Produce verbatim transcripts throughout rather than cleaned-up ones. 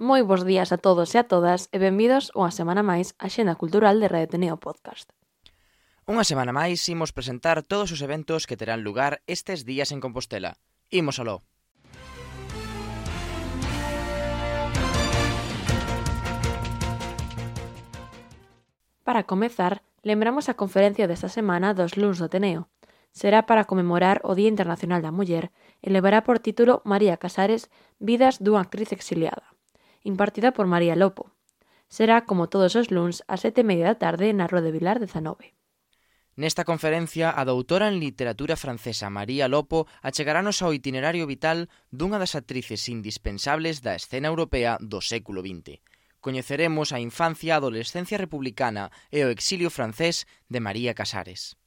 Moi bos días a todos e a todas e benvidos unha semana máis á Xenda Cultural de Radio Ateneo Podcast. Unha semana máis imos presentar todos os eventos que terán lugar estes días en Compostela. Imos aló. Para comezar, lembramos a conferencia desta semana dos luns do Ateneo. Será para conmemorar o Día Internacional da Muller e levará por título María Casares, Vidas dunha actriz exiliada, impartida por María Lopo. Será, como todos os luns, ás sete e media da tarde na Rúa de Vilar dezanove. Nesta conferencia, a doutora en literatura francesa María Lopo achegarános ao itinerario vital dunha das actrices indispensables da escena europea do século vinte. Coñeceremos a infancia, a adolescencia republicana e o exilio francés de María Casares.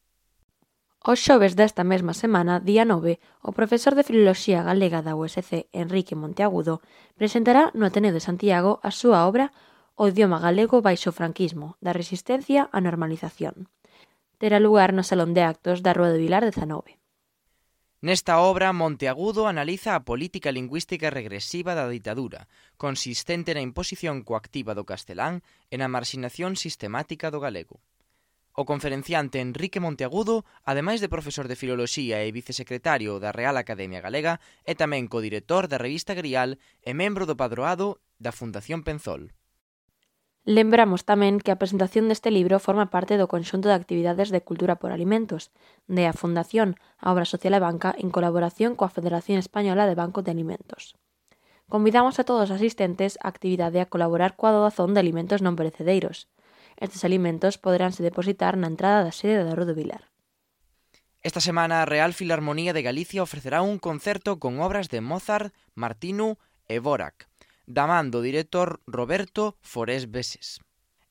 Os xoves desta mesma semana, día nove, o profesor de Filoloxía Galega da U S C, Enrique Monteagudo, presentará no Ateneo de Santiago a súa obra O idioma galego baixo o franquismo, da resistencia á normalización. Terá lugar no Salón de Actos da Rúa de Vilar dezanove. Nesta obra, Monteagudo analiza a política lingüística regresiva da ditadura, consistente na imposición coactiva do castelán e na marxinación sistemática do galego. O conferenciante Enrique Monteagudo, ademais de profesor de Filoloxía e vicesecretario da Real Academia Galega, é tamén codirector da revista Grial e membro do padroado da Fundación Penzol. Lembramos tamén que a presentación deste libro forma parte do conxunto de actividades de Cultura por Alimentos, de a Fundación a Obra Social e Banca en colaboración coa Federación Española de Bancos de Alimentos. Convidamos a todos os asistentes á actividade a colaborar coa doazón de alimentos non perecedeiros. Estes alimentos poderánse depositar na entrada da sede da Rúa de Vilar. Esta semana a Real Filarmonía de Galicia ofrecerá un concerto con obras de Mozart, Martinu e Dvořák, da man do director Roberto Forés Veses.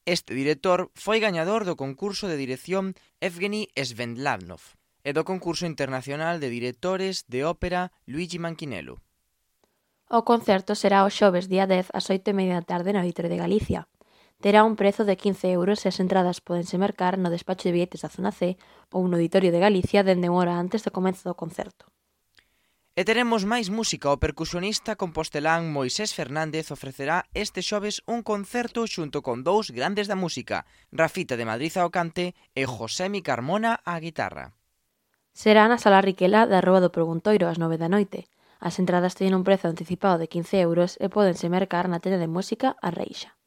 Este director foi gañador do concurso de dirección Evgeny Svendlavnov e do concurso internacional de directores de ópera Luigi Manquinello. O concerto será o xoves día dez ás oito e media da tarde no Auditorio de Galicia. Terá un prezo de quince euros e as entradas pódense mercar no despacho de billetes da Zona C ou no Auditorio de Galicia dende unha hora antes do comezo do concerto. E teremos máis música. O percusionista compostelán Moisés Fernández ofrecerá este xoves un concerto xunto con dous grandes da música, Rafita de Madrid ao cante e Josemi Carmona á guitarra. Será na Sala Riquela da Rúa do Preguntoiro ás nove da noite. As entradas teñen un prezo anticipado de quince euros e pódense mercar na tenda de música A Reixa.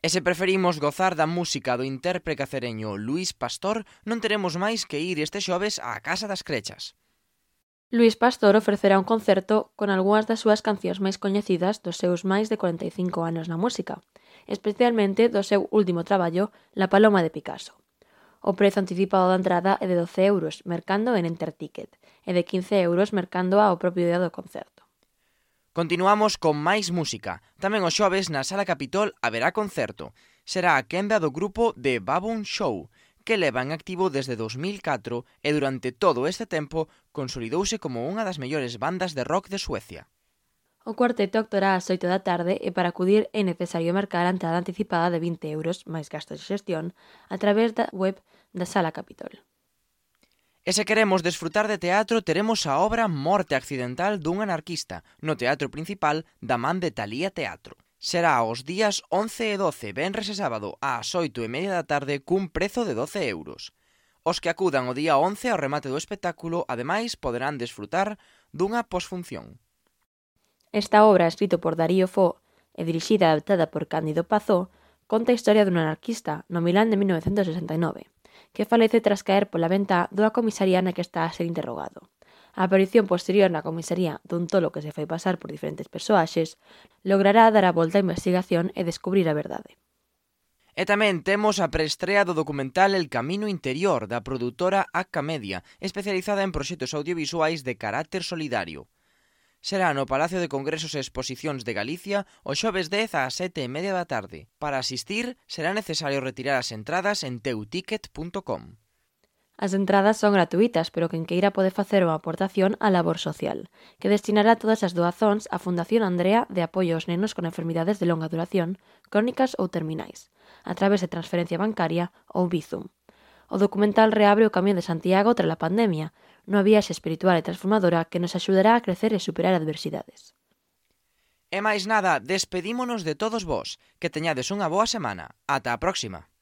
E se preferimos gozar da música do intérprete cacereño Luís Pastor, non teremos máis que ir este xoves á Casa das Crechas. Luís Pastor ofrecerá un concerto con algunhas das súas cancións máis coñecidas dos seus máis de cuarenta e cinco anos na música, especialmente do seu último traballo, La Paloma de Picasso. O prezo anticipado da entrada é de doce euros, mercando en Enterticket, e de quince euros mercando ao propio día do concerto. Continuamos con máis música. Tamén o xoves na Sala Capitol haberá concerto. Será a quenda do grupo The Baboon Show, que leva en activo desde dos mil catro e durante todo este tempo consolidouse como unha das mellores bandas de rock de Suecia. O cuarteto actuará ás oito da tarde e para acudir é necesario marcar a entrada anticipada de vinte euros, máis gastos de xestión, a través da web da Sala Capitol. E se queremos desfrutar de teatro, teremos a obra Morte accidental dun anarquista, no Teatro Principal da man de Talía Teatro. Será os días once e doce, venres e sábado, ás oito e media da tarde, cun prezo de doce euros. Os que acudan o día once ao remate do espectáculo, ademais, poderán desfrutar dunha posfunción. Esta obra, escrito por Darío Fo e dirixida e adaptada por Cándido Pazó, conta a historia dun anarquista no Milán de mil novecentos sesenta e nove, que falece tras caer pola ventá dunha comisaría na que está a ser interrogado. A aparición posterior na comisaría dun tolo que se fai pasar por diferentes persoaxes logrará dar a volta á investigación e descubrir a verdade. E tamén temos a preestrea do documental El Camino Interior da produtora Acca Media, especializada en proxectos audiovisuais de carácter solidario. Será no Palacio de Congresos e Exposicións de Galicia o xoves dez ás sete e media da tarde. Para asistir, será necesario retirar as entradas en teuticket punto com. As entradas son gratuitas, pero quen queira pode facer unha aportación á labor social, que destinará todas as doazóns á Fundación Andrea de apoio aos nenos con enfermidades de longa duración, crónicas ou terminais, a través de transferencia bancaria ou Bizum. O documental reabre o Camiño de Santiago tras a pandemia, nunha viaxe espiritual e transformadora que nos axudará a crecer e superar adversidades. E máis nada, despedímonos de todos vós. Que teñades unha boa semana. Ata a próxima.